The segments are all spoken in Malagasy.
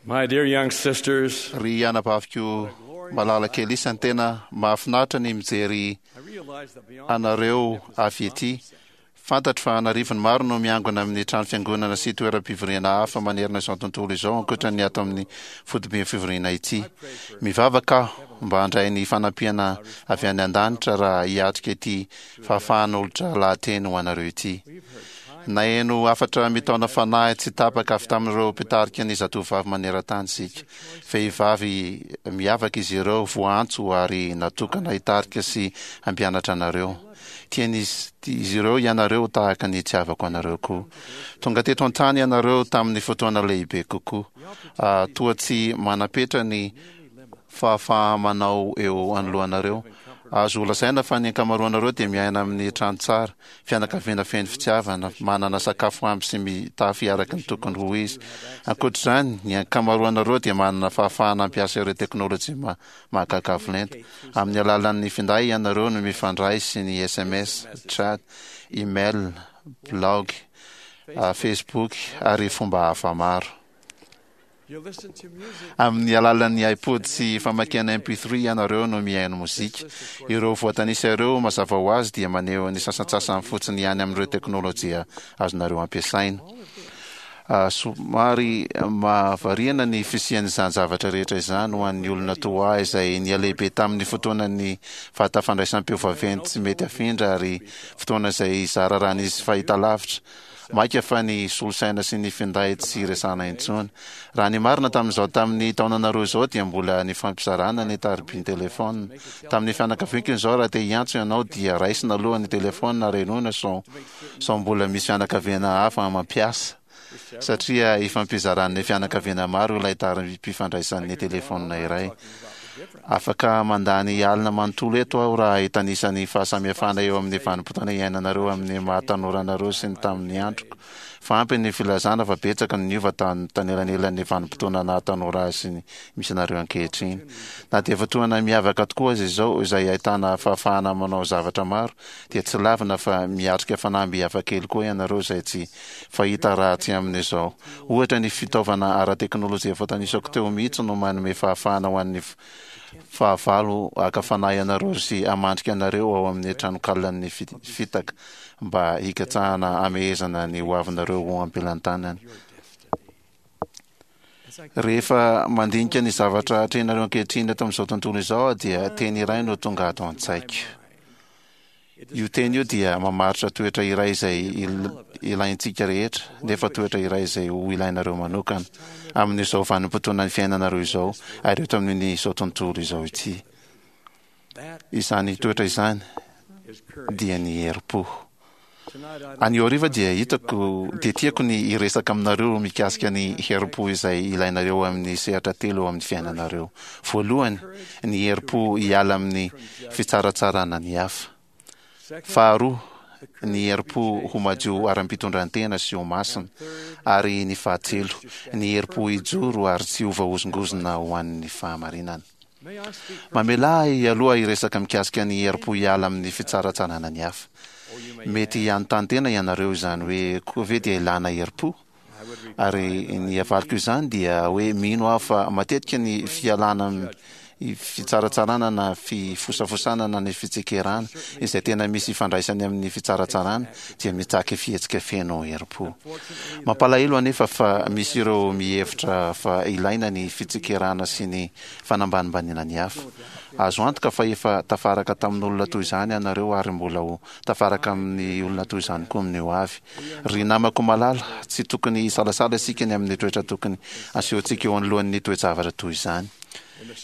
My dear young sisters, Ry anabaviko malala kely isany, tena mahafinaritra ny mijery I realize that beyond anareo avy ety. Fantatro fa an'arivony maro no miangona amin'ny trano fiangonana sy toeram-pivoriana hafa manerana izao tontolo izao ankoatra ny ato amin'ny foiben'ny fivoriana ity. Mivavaka aho mba handray ny fanampiana avy any an-danitra raha hiatrika ity fahafahan'olotra lahateny ho anareo ity. Naheno hafatra mitaona fanahy tsy tapaka avy tamin'ireo mpitarika ny zatovovavy maneran-tany isika. Vehivavy miavaka izy ireo, voaantso ary natokana hitarika sy hampianatra anareo. Tian'izy ireo ianareo tahaka ny itiavako anareo koa. Tonga teto an-tany ianareo tamin'ny fotoana lehibe kokoa. Toa tsy manam-petra ny fahafaha-manao eo anoloanareo. Azo lazaina fa ny ankamaroanareo dia miaina amin'ny trano tsara, fianakaviana feno fitiavana, manana sakafo ampy sy mitafy araka ny tokony ho izy. Ankoatra izany, ny ankamaroanareo dia manana fahafahana hampiasa ireo teknolojia mahagaga avo lenta. Amin'ny alalan'ny finday ianareo no mifandray sy ny sms, chat, email, blaogy, Facebook ary fomba hafa maro. Amin'ny alalan'ny iPod sy famakiana MP3 ianareo no mihaino mozika. Ireo voatanisa ireo, mazava ho azy, dia maneho ny sasantsasany fotsiny ihany amin'ireo teknolojia azonareo ampiasaina. Somary mahavariana ny fisian'izany zavatra rehetra izany ho an'ny olona toa ahy izay nihalehibe tamin'ny fotoanan'ny vata fandraisam-peo vaventy tsy mety afindra ary fotoana izay zara raha nisy fahitalavitra. Mainka fa ny solosaina sy ny finday tsy resahana intsony. Raha ny marina tamin'izao tamin'ny taonanareo izao dia mbola nifampizarana ny tarobin-telefaonina. Tamin'ny fianakaviako izao raha te hiantso ianao dia raisina aloha ny telefaonina ary henoina sao sao mbola misy fianakaviana hafa mampiasa satria ifampizaran'ny fianakaviana maro ilay tarobim-pifandraisan'ny telefaonina iray. Afaka mandany alina manontolo eto aho raha hitanisa ny fahasamihafana eo amin'ny vanim-potoana iainanareo amin'ny maha tanora anareo sy ny tamin'ny androko. Fa ampy ny filazana fa betsaka no niova tanelanelan'ny vanim-potoana naha tanora ahy sy ny misy anareo ankehitriny. Na dia fotoana miavaka tokoa aza izao izay ahitana fahafahana manao zavatra maro dia tsy lavina fa miatrika fanamby hafakely koa ianareo izay tsy fahita raha tsy amin'izao. Ohatra, ny fitaovana ara-teknolojia voatanisako teo mihitsy no manome fahafahana ho an'ny fahavalo haka fanahy anareo sy hamandrika anareo ao amin'ny tranonkalan'ny fitaka mba hikatsahana hamehezana ny hoavinareo ho am-pelantanany. Rehefa mandinika ny zavatra atrehinareo ankehitriny eto amin'izao tontolo izao aho dia teny iray no tonga ato an-tsaiko. Io teny io dia mamaritra toetra iray izay ilaintsika rehetra, nefa toetra iray izay ho ilainareo manokana, amin'izao vanim-potoanan'ny fiainanareo izao, ary eto amin'izao tontolo izao ity. Izany toetra izany dia ny herim-po. Anio hariva dia hitako, dia tiako ny hiresaka aminareo mikasika ny herim-po izay ilainareo amin'ny sehatra telo eo amin'ny fiainanareo. Voalohany, ny herim-po hiala amin'ny fitsaratsarana ny hafa. Faharoa, ny herim-po ho madio ara-pitondran-tena sy ho masina. Ary ny fahatelo, ny herim-po hijoro ary tsy ho voahozongozona ho an'ny fahamarinana. Mamelà ahy aloha hiresaka mikasika ny herim-po hiala amin'ny fitsaratsarana ny hafa. Mety hanontany tena ianareo izany hoe koa ve dia ilàna herim-po? Ary ny havaliko izany dia hoe mino aho fa matetika ny fialana amin'ny fitsaratsarana na fifosafosana na ny fitsikerana, izay tena misy ifandraisany amin'ny fitsaratsarana, dia mitaky fihetsika feno herim-po. Mampalahelo anefa fa misy ireo mihevitra fa ilaina ny fitsikerana sy ny fanambanimbaniana ny hafa. Azo antoka fa efa tafaraka tamin'olona toy izany ianareo ary mbola ho tafaraka amin'ny olona toy izany koa amin'ny hoavy. Ry namako malala, tsy tokony hisalasala isika ny amin'ny toetra tokony asehontsika eo anoloan'ny toe-javatra toy izany.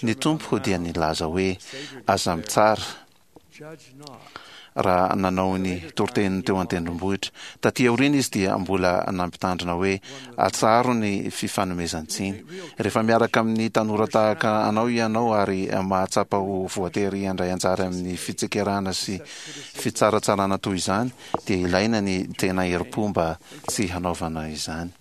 Ny Tompo dia nilaza hoe, Aza mitsara. Raha nanao ny toriteniny teo an-tendrombohitra. Taty aoriana izy dia mbola nampitandrina hoe, Atsaharo ny fifanomezan-tsiny. Rehefa miaraka amin'ny tanora tahaka anao ianao ary mahatsapa ho voatery handray anjara amin'ny fitsikerana sy fitsaratsarana toy izany, dia ilaina ny tena herim-po mba tsy hanaovana izany.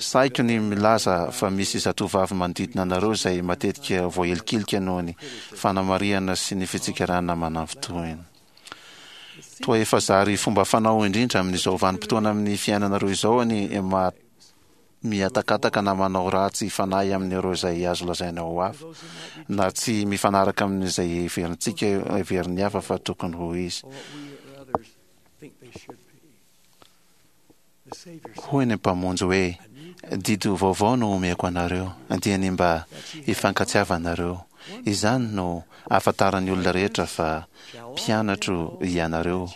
Sahiko ny milaza fa misy zatovovavy manodidina anareo izay matetika voahilikilika noho ny fanamarihana sy ny fitsikerana manafintohina. Toa efa zary fomba fanao indrindra amin'izao vanim-potoana amin'ny fiainanareo izao ny. mihatakataka na manao ratsy fanahy amin'ireo izay azo lazaina ho hafa, na tsy mifanaraka amin'izay heverintsika heverin'ny hafa fa tokony ho izy. Hoy ny Mpamonjy hoe, Didy vaovao no omeko anareo, dia ny mba hifankatiavanareo. Izany no ahafantaran'ny olona rehetra fa mpianatro ianareo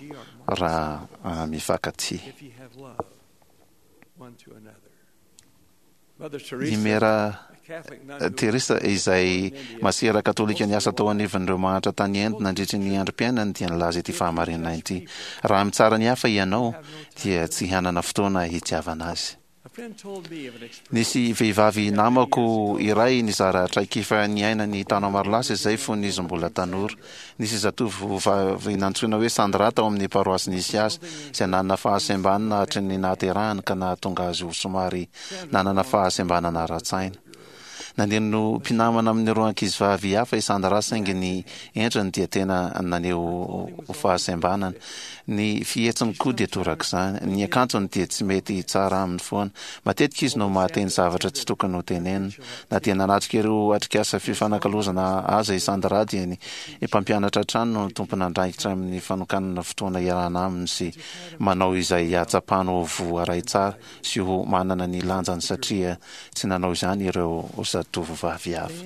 raha mifankatia. I Mera Teresa, izay masera katolika niasa tao anivon'ireo mahantra tany Inde nandritry ny androm-piainany, dia nilaza ity fahamarinana ity, Raha mitsara ny hafa ianao, dia tsy hanana fotoana hitiavana azy. Nisy vehivavy namako iray nizara traikefa niainany taona maro lasa izay fony izy mbola tanora. Nisy zatovovavy nantsoina hoe Sandra tao amin'ny paroasy nisy azy, izay nanana fahasembanana hatry ny nahaterahany ka nahatonga azy ho somary nanana fahasembanana ara-tsaina. Naneno mpinamana amin'ireo ankizivavy hafa i Sandra saingy ny endriny dia tena naneho fahasembanana. Ny fihetsiny koa dia torak'izany. Ny akanjony dia tsy mety tsara aminy foana. Matetika izy no mahateny zavatra tsy tokony ho tenenina. Na dia nanatrika ireo atrikasa fifanakalozana aza i Sandra dia ny mpampianatra hatrany no tompon'andraikitra amin'ny fanokanana fotoana iarahana aminy sy manao izay hahatsapany ho voaray tsara sy ho manana ny lanjany satria tsy nanao izany ireo zatovovavy hafa.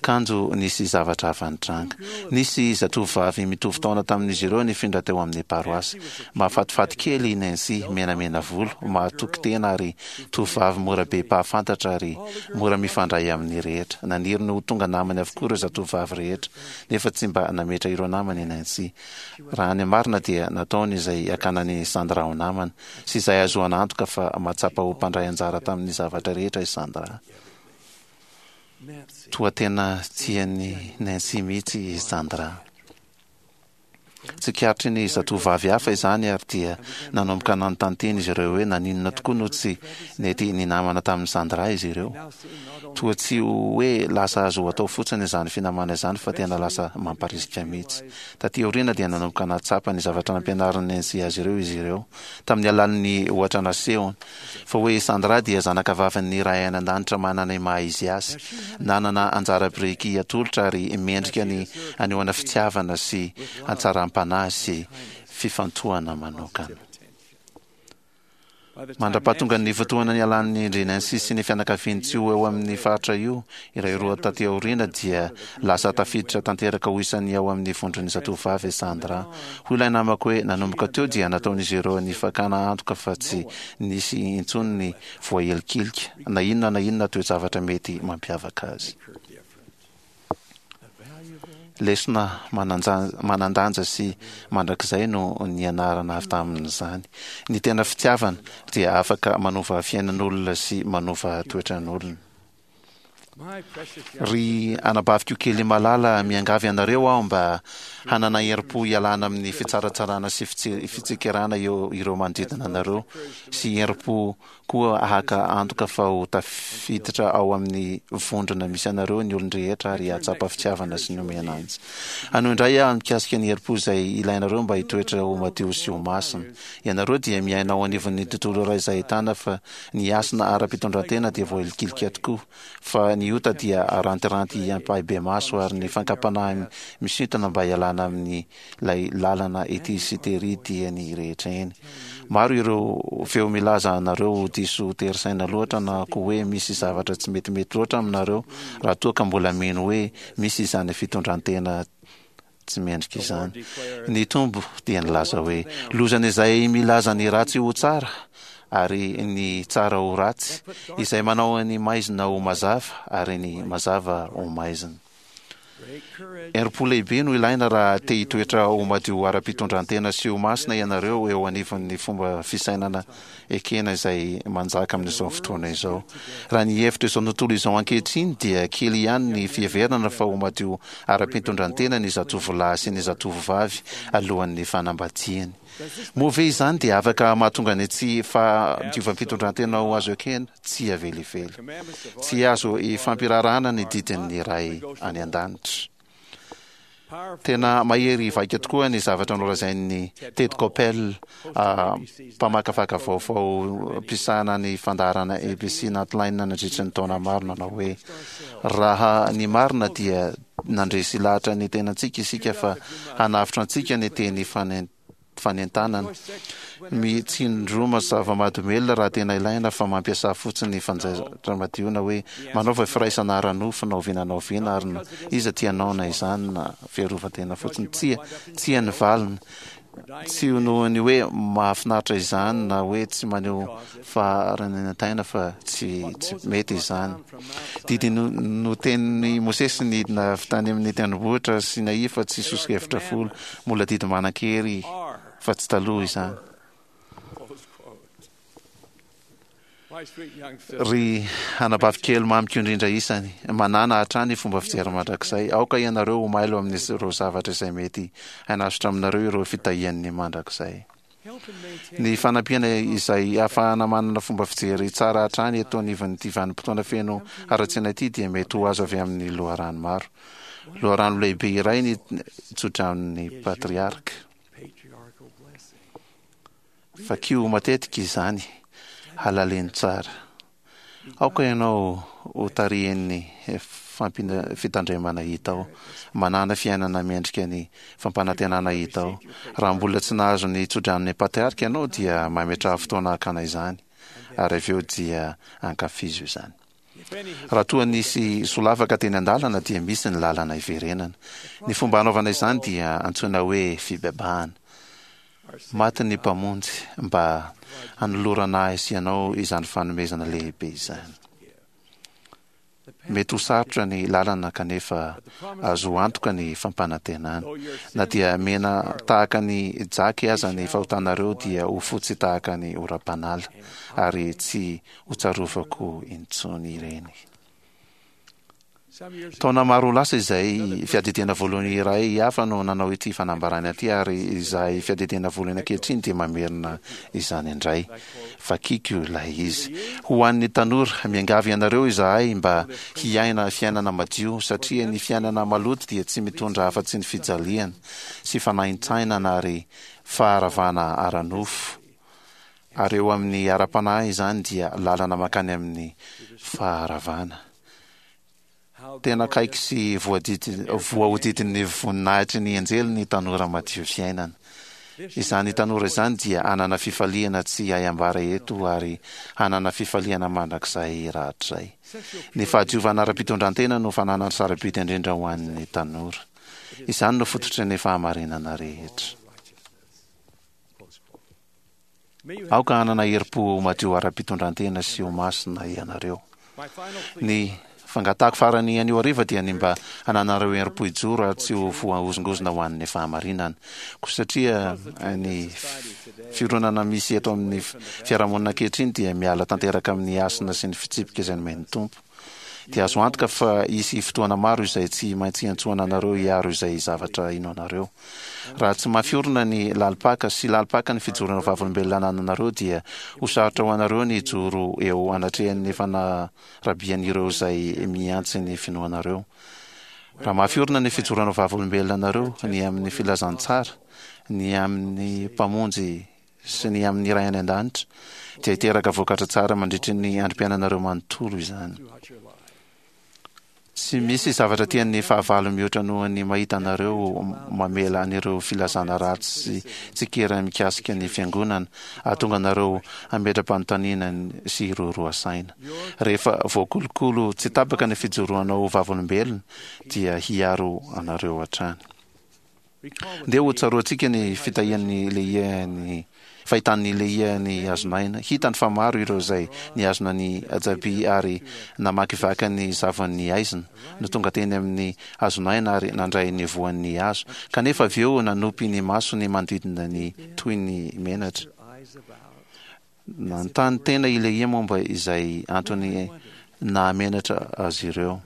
Kanjo nisy zavatra hafa nitranga. Nisy zatovovavy mitovy taona tamin'izy ireo nifindra teo amin'ny paroasy. Mahafatifaty kely i Nancy, menamena volo, mahatoky tena ary tovovavy mora be mpahafantatra ary mora mifandray amin'ny rehetra. Naniry ny ho tonga namany avokoa ireo zatovovavy rehetra, nefa tsy mba nametra ireo namany i Nancy. Raha ny marina dia nataony izay hakana an'i Sandra ho namana. sy izay ahazoana antoka fa mahatsapa ho mpandray anjara tamin'ny zavatra rehetra i Sandra. Toa tena tian'i Nancy mihitsy i Sandra. Tsikaritry ny zatovovavy hafa izany ary dia nanomboka nanontany tena izy ireo hoe naninona tokoa no tsy nety ninamana tamin'i Sandra izy ireo. Toa tsy hoe lasa azo atao fotsiny izany finamana izany fa tena lasa mamparisika mihitsy. Tatỳ aoriana dia nanomboka nahatsapa ny zavatra nampianarin'i Nancy azy ireo izy ireo, tamin'ny alalan'ny ohatra nasehony, fa hoe i Sandra dia zanakavavin'ny Ray any An-danitra manana ny maha-izy azy, nanana anjara biriky atolotra ary mendrika ny hanehoana fitiavana sy hatsaram-panahy sy fifantohana manokana. Mandra-pahatongan'ny fotoana nialan'ny ndry Nancy sy ny fianakaviany tsy ho eo amin'ny faritra io, iray roa taty aoriana dia lasa tafiditra tanteraka ho isan'ny ao amin'ny vondron'ny zatovovavy i Sandra. Hoy ilay namako hoe nanomboka teo dia nataon'izy ireo ny fakana antoka fa tsy nisy intsony ny voahilikilika, na inona na inona toe-javatra mety mampiavaka azy. Lesona manan-danja sy mandrakizay no nianarana avy tamin'izany. Ny tena fitiavana dia afaka manova fiainan'olona sy manova toetran'olona. Ry anabaviko kely malala, miangavy anareo aho mba hanana herim-po hialana amin'ny fitsaratsarana sy fitsikerana eo ireo manodidina anareo, sy herim-po Koa haka antoka fa ho tafiditra ao amin'ny vondrona misy anareo ny olon-drehetra ary hahatsapa fitiavana sy ny omena azy. Hanohy indray aho mikasika ny herim-po izay ilainareo mba hitoetra ho madio sy ho masina. Ianareo dia miaina ao anivon'ny tontolo iray izay ahitana fa ny hasina ara-pitondrantena dia voahilikilika tokoa, fa ny ota dia arantiranty ampahibemaso ary ny fankam-panahy misintona mba hialana amin'ny ilay lalana ety sy tery dia ny rehetra eny. Maro ireo feo milaza anareo ho diso tery saina loatra na koa hoe misy zavatra tsy metimety loatra aminareo raha toa ka mbola mino hoe misy izany fitondran-tena tsy mendrika izany. Ny Tompo dia nilaza hoe, Lozan'izay milaza ny ratsy ho tsara ary ny tsara ho ratsy, izay manao ny maizina ho mazava ary ny mazava ho maizina. Herim-po lehibe no ilaina raha te hitoetra ho madio ara-pitondran-tena sy ho masina ianareo eo anivon'ny fomba fisainana ekena izay manjaka amin'izao fotoana izao. Raha ny hevitra izao tontolo izao ankehitriny dia kely ihany ny fiheverana fa ho madio ara-pitondran-tena ny zatovolahy sy ny zatovovavy alohan'ny fanambadiany. Moa ve izany dia afaka mahatonga ny tsy fahadiovam-pitondran-tena ho azo ekena? Tsia velively. Tsy azo ifampiraharahana ny didin'ny Ray any An-danitra. Tena mahery vaika tokoa ny zavatra nolazain'i Ted Koppel, mpamakafaka vaovao mpisahana ny fandaharana ABC Nightline nandritra ny taona maro nanao hoe, Raha ny marina dia nandresy lahatra ny tenantsika isika fa hanavotra antsika ny teny fanentanana. Mitsindroma zava-mahadomelina raha tena ilaina fa mampiasà fotsiny fanjaitra madio na hoe manaova firaisana ara-nofo na oviana na oviana ary na iza tianao na izany na fiarovan-tena fotsiny. Tsia, tsia ny valiny. Tsy noho ny hoe mahafinaritra izany na hoe tsy maneho faharanenantaina fa tsy tsy mety izany. Didy notenin'i Mosesy nidina avy tany amin'ny tendrombohitra Sinai fa tsy soso-kevitra folo. Mbola didy manan-kery fa tsy taloha izany. Ry anabavy kely mamiko indrindra isany, manàna hatrany fomba fijery mandrakizay. Aoka ianareo ho mailo amin'ireo zavatra izay mety hanasotra aminareo ireo fitahian'ny mandrakizay. Ny fanampiana izay ahafahana manana fomba fijery tsara hatrany eto anivon'ity vanim-potoana feno haratsiana ity dia mety ho azo avy amin'ny loharano maro. Loharano lehibe iray ny tsodranon'ny patriarka. Vakio matetika izany, halaleno tsara. Aoka ianao ho tarihin'ny fitandremana hita ao. Manàna fiainana mendrika ny fampanantenana hita ao. Raha mbola tsy nahazo ny tsodranon'ny patriarka ianao dia mametraha fotoana hakana izany, ary avy eo dia ankafizo izany. Raha toa nisy solafaka teny an-dalana dia misy ny lalana hiverenana. Ny fomba hanaovana izany dia antsoina hoe fibebahana. Maty ny Mpamonjy mba hanolorana ahy sy ianao izany fanomezana lehibe izany. Mety ho sarotra ny lalana kanefa azo antoka ny fampanantenana. Na dia mena tahaka ny jaky aza ny fahotanareo dia ho fotsy tahaka ny oram-panala ary tsy hotsarovako intsony ireny. Taona maro lasa izay, fiadidiana voalohany iray hafa no nanao ity fanambarana ity ary izahay fiadidiana voalohany ankehitriny dia mamerina izany indray. Vakiko ilay izy. Ho an'ny tanora, miangavy anareo izahay mba hiaina fiainana madio satria ny fiainana maloto dia tsy mitondra afa-tsy ny fijaliana sy fanaintainana ary faharavana ara-nofo. Ary eo amin'ny ara-panahy izany dia lalana mankany amin'ny faharavana. Tena akaiky sy voahodidin'ny voninahitry ny anjely ny tanora madio fiainana. Izany tanora izany dia hanana fifaliana tsy hay ambara eto ary hanana fifaliana mandrakizay rahatrizay. Ny fahadiovana ara-pitondran-tena no fananana sarobidy indrindra ho an'ny tanora. Izany no fototry ny fahamarinana rehetra. Aoka hanana herim-po madio ara-pitondran-tena sy ho masina ianareo. Ny fangatahako farany anio hariva dia ny mba hananareo herim-po hijoro ary tsy ho voahozongozona ho an'ny fahamarinana. Koa satria ny fironana misy eto amin'ny fiarahamonina ankehitriny dia miala tanteraka amin'ny hasina sy ny fitsipika izay nomen'ny Tompo, dia azo antoka fa hisy fotoana maro izay tsy maintsy hiantsoana anareo hiaro izay zavatra inoanareo. Raha tsy mafy orina ny lalim-paka sy lalim-paka ny fijoroana vavolombelona anananareo dia ho sarotra ho anareo ny hijoro eo anatrehan'ny fanarabian'ireo izay mihantsy ny finoanareo. Raha mafy orina ny fijoroana vavolombelona anareo ny amin'ny filazantsara, ny amin'ny Mpamonjy sy ny amin'ny Ray any An-danitra, dia hiteraka vokatra tsara mandritry ny androm-piainanareo manontolo izany. Tsy misy zavatra tian'ny fahavalo mihoatra noho ny mahita anareo mamela an'ireo filazana ratsy sy tsikera mikasika ny Fiangonana hahatonga anareo hametra-panontaniana sy hiroaroa saina. Rehefa voakolokolo tsy tapaka ny fijoroanao ho vavolombelona, dia hiaro anareo hatrany. Ndeha ho tsaroantsika ny fitahian'i Lehia ny fahitan'i Lehia ny hazon'aina. Hitany fa maro ireo izay nihazona ny ajaby ary namakivaky ny zavon'ny haizina, no tonga teny amin'ny hazon'aina ary nandray ny voan'ny hazo, kanefa avy eo nanopy ny masony manodidina ny toy ny menatra. Nanontany tena i Lehia momba izay antony nahamenatra azy ireo.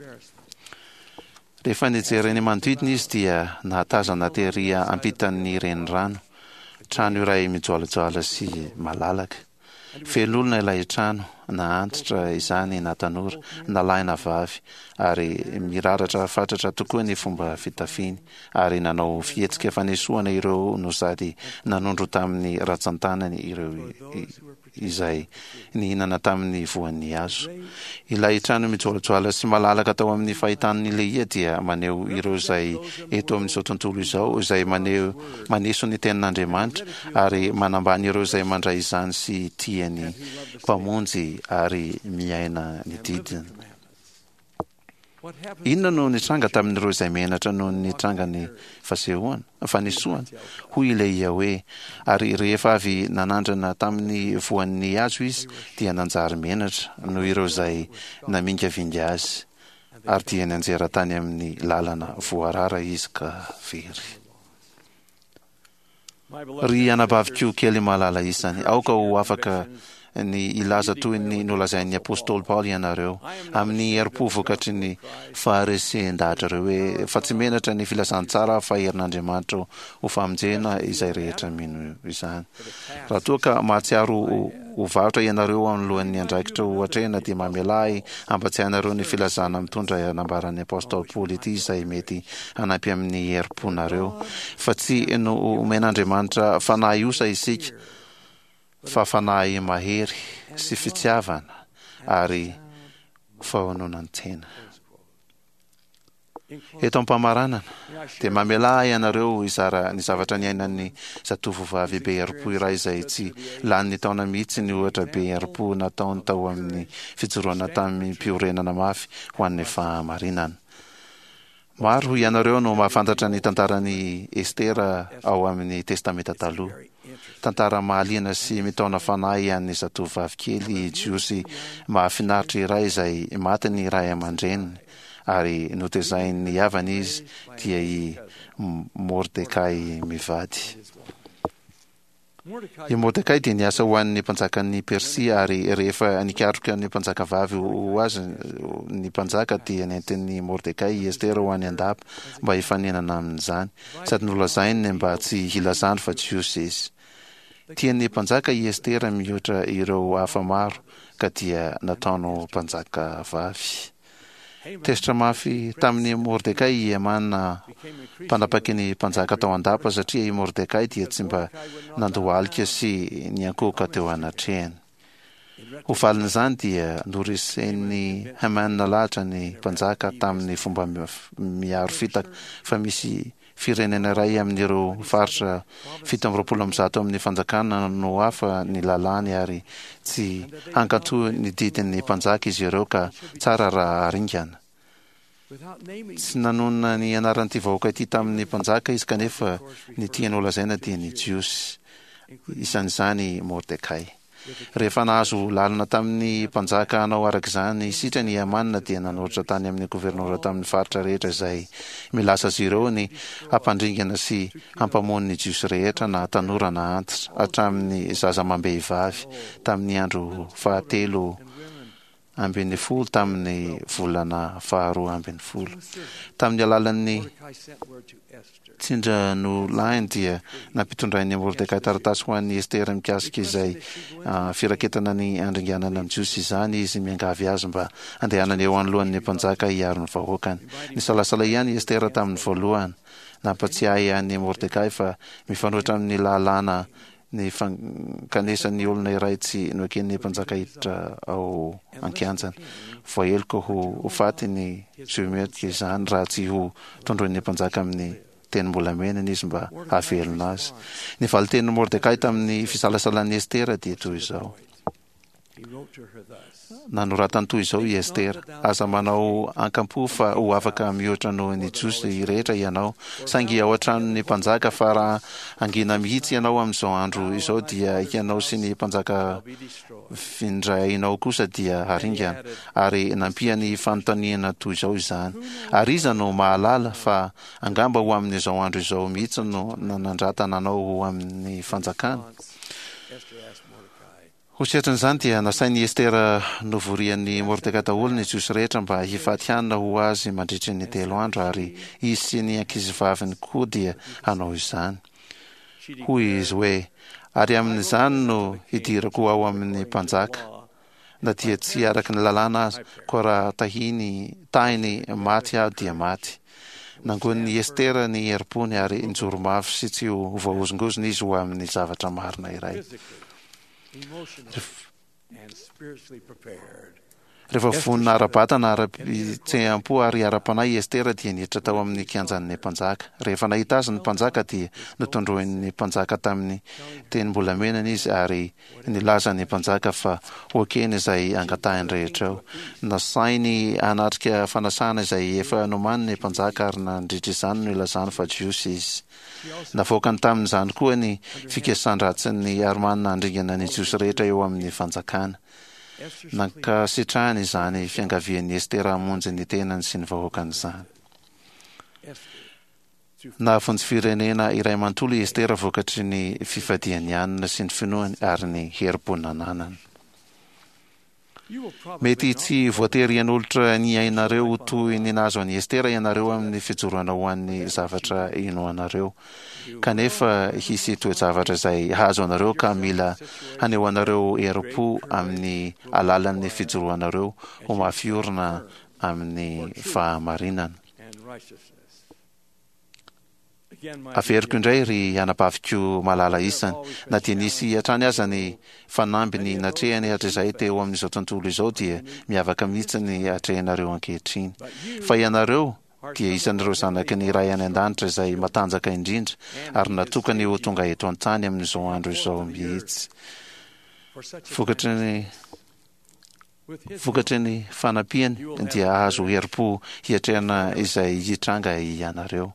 Rehefa nijery ny manodidina izy dia nahatazana tery ampitan'ny renirano, trano iray mijoalajoala sy malalaka. Feno olona ilay trano. na antitra izany na tanora, na lahy na vavy, ary miraratra fatratra tokoa ny fomba fitafiny, ary nanao fihetsika fanesoana ireo no sady nanondro tamin'ny ratsan-tanany ireo izay nihinana tamin'ny voan'ny hazo. Ilay trano mijoalajoala sy malalaka tao amin'ny fahitan'i Lehia dia maneho ireo izay eto amin'izao tontolo izao izay maneho maneso ny tenin'Andriamanitra ary manambany ireo izay mandray izany sy tia ny Mpamonjy ary miaina ny didiny. Inona no nitranga tamin'ireo izay menatra noho ny nitrangan'ny fasehoana, fanesoana? Hoy i Lehia hoe, Ary rehefa avy nanandrana tamin'ny voan'ny hazo izy, dia nanjary menatra noho ireo izay namingavinga azy, ary dia nianjera tany amin'ny lalana voarara izy ka very. Ry anabaviko kely malala isany, aoka ho afaka ny hilaza toy ny nolazain'ny apostoly Paoly ianareo, amin'ny herim-po vokatry ny faharesen-dahatrareo hoe, Fa tsy menatra ny filazantsara aho fa herin'Andriamanitra ho famonjena izay rehetra mino izany. Raha toa ka mahatsiaro ho varotra ianareo anoloan'ny andraikitra ho atrehina dia mamelà ahy hampatsiahy anareo ny filazana mitondra nambaran'ny apostoly Paoly ity izay mety hanampy amin'ny herim-ponareo fa tsy nomen'Andriamanitra fanahy osa isika fa fanahy mahery sy fitiavana ary fahononan-tena. Eto am-pamaranana, dia mamelà ahy ianareo hizara ny zavatra niainan'ny zatovovavy be herim-po iray izay tsy lanin'ny taona mihitsy ny ohatra be herim-po nataony tao amin'ny fijoroana tamim-piorenana mafy ho an'ny fahamarinana. Maro ianareo no mahafantatra ny tantaran'i Estera ao amin'ny Testamenta Taloha. Tantara mahaliana sy mitaona fanahy an'ny zatovovavy kely jiosy mahafinaritra iray izay maty ny ray aman-dreniny ary notezain'ny havany izy, dia i Mordekay mivady. I Mordekay dia niasa ho an'ny mpanjakan'i Persia, ary rehefa nikaroka ny mpanjakavavy ho azy ny mpanjaka, dia nentin'i Mordekay i Estera ho any an-dapa mba hifanenana amin'izany, sady nolazainy mba tsy hilazany fa Jiosy izy. Tian'ny mpanjaka i Estera mihoatra ireo hafa maro, ka dia nataony ho mpanjakavavy. Tezitra mafy tamin'i Mordekay i Hamana, mpanapaky ny mpanjaka tao an-dapa, satria i Mordekay dia tsy mba nandohalika sy niankohoka teo anatrehany. Ho valin'izany dia noresen'i Hamana lahatra ny mpanjaka tamin'ny fomba miharo fitaka fa misy Firenena iray amin'ireo faritra 127 amin'ny fanjakana no hafa ny lalàny ary tsy hankatò ny didin'ny mpanjaka izy ireo ka tsara raha haringana. Tsy nanonona ny anaran'ity vahoaka ity tamin'ny mpanjaka izy kanefa ny tiany holazaina dia ny Jiosy, isan'izany i Mordekay. Rehefa nahazo lalana tamin'ny mpanjaka hanao araka izany sitrany i Hamana dia nanoratra tany amin'ny governora tamin'ny faritra rehetra izay milaza azy ireo ny hampandringana sy hampamono ny Jiosy rehetra na tanora na antitra hatramin'ny zaza amam-behivavy tamin'ny andro fahatelo 12 tamin'ny volana faharoa 12. Tamin'ny alalan'ny tsindranolahiny dia nampitondrain'i Mordekay taratasy ho an'i Estera mikasika izay firaketana ny handringanana ny Jiosy izany izy, miangavy azy mba handehanany eo anoloan'ny mpanjaka hiaro ny vahoakany. Nisalasala ihany i Estera tamin'ny voalohany. Nampatsiahy an'i Mordekay fa mifanohitra amin'ny lalàna ny fankanesan'ny olona iray tsy noeken'ny mpanjaka hiditra ao an-kianjany. Voaheloka ho faty ny ziomerika izany raha tsy ho tondroin'ny mpanjaka amin'ny tenim-bolamenany izy mba hahavelona azy. Ny valin-tenin'i Mordekay tamin'ny fisalasalan'i Estera dia toy izao. Nanoratany toy izao i Estera, Aza manao ankampo fa ho afaka mihoatra noho ny Jiosy rehetra ianao, saingy ao an-tranon'ny mpanjaka, fa raha hangina mihitsy ianao amin'izao andro izao, dia ianao sy ny mpanjaka vindrainao kosa dia haringana. Ary nampiany fanontaniana toy izao izany, Ary iza no mahalala fa angamba ho amin'izao andro izao mihitsy no nanandratana anao ho amin'ny fanjakana? Ho setrin'izany dia nasain'i Estera novorian'i Mordekay daholo ny Jiosy rehetra mba hifady hanina ho azy mandritry ny telo andro, ary izy sy ny ankizivaviny koa dia hanao izany. Hoy izy hoe, Ary amin'izany no hidirako ao amin'ny mpanjaka. na dia tsy araka ny lalàna aza, koa raha tahiny tahiny maty aho dia maty. Nangonin'i Estera ny herim-pony ary nijoro mafy sy tsy ho voahozongozona izy ho amin'ny zavatra marina iray. Rehefa vonona ara-batana, ara-pihetseham-po ary ara-panahy i Estera dia niditra tao amin'ny kianjan'ny mpanjaka. Rehefa nahita azy ny mpanjaka dia notondroin'ny mpanjaka tamin'ny tenim-bolamenany izy ary nilaza ny mpanjaka fa ho ekeny izay angatahiny rehetra eo. Nasainy hanatrika fanasana izay efa nomaniny ny mpanjaka ary nandritra izany no nilazany fa Jiosy izy. Navoakany tamin'izany koa ny fikasan-dratsin'ny Armana handringana ny Jiosy rehetra eo amin'ny fanjakana. Nankasitrahany izany fiangavian'i Estera hamonjy ny tenany sy ny vahoakany izany. Nahavonjy firenena iray manontolo i Estera vokatry ny fifadiany hanina sy ny finoany ary ny herim-po nananany. Mety tsy voatery hanolotra ny ainareo ho toy ny nahazo an'i Estera ianareo amin'ny fijoroana ho an'ny zavatra inoanareo. Kanefa hisy toe-javatra izay hahazo anareo ka mila hanehoanareo herim-po amin'ny alalan'ny fijoroanareo ho mafy orina amin'ny fahamarinana. Averiko indray ry anabaviko malala isany, na dia nisy hatrany aza ny fanamby natrehany hatrizay teo amin'izao tontolo izao dia miavaka mihitsy ny atrehinareo ankehitriny. Fa ianareo dia isan'ireo zanaky ny Ray any An-danitra izay matanjaka indrindra ary natokany ho tonga eto an-tany amin'izao andro izao mihitsy. Vokatry ny. Vokatry ny fanampiany dia hahazo herim-po hiatrehana izay hitranga ianareo.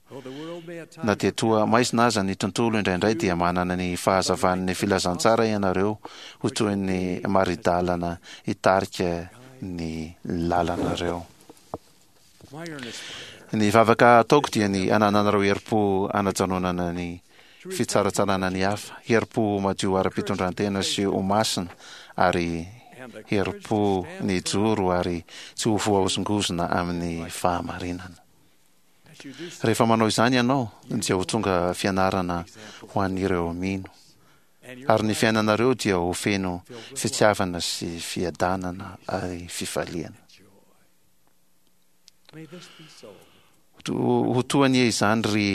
Na dia toa maizina aza ny tontolo indraindray dia manana ny fahazavan'ny filazantsara ianareo ho toy ny mari-dalana hitarika ny lalanareo. Ny vavaka ataoko dia ny hanananareo herim-po hanajanonana ny fitsaratsarana ny hafa, herim-po madio ara-pitondran-tena sy ho masina, ary herim-po nijoro ary tsy ho voahozongozona amin'ny fahamarinana. Rehefa manao izany ianao, dia ho tonga fianarana ho an'ireo mino, ary ny fiainanareo dia ho feno fitiavana sy fiadanana ary fifaliana. Ho toa anie izany ry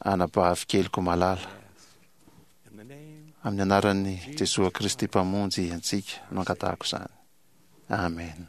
anabavy keliko malala. Amin'ny anaran'i Jesoa Kristy Mpamonjy antsika no angatahako izany. Amen.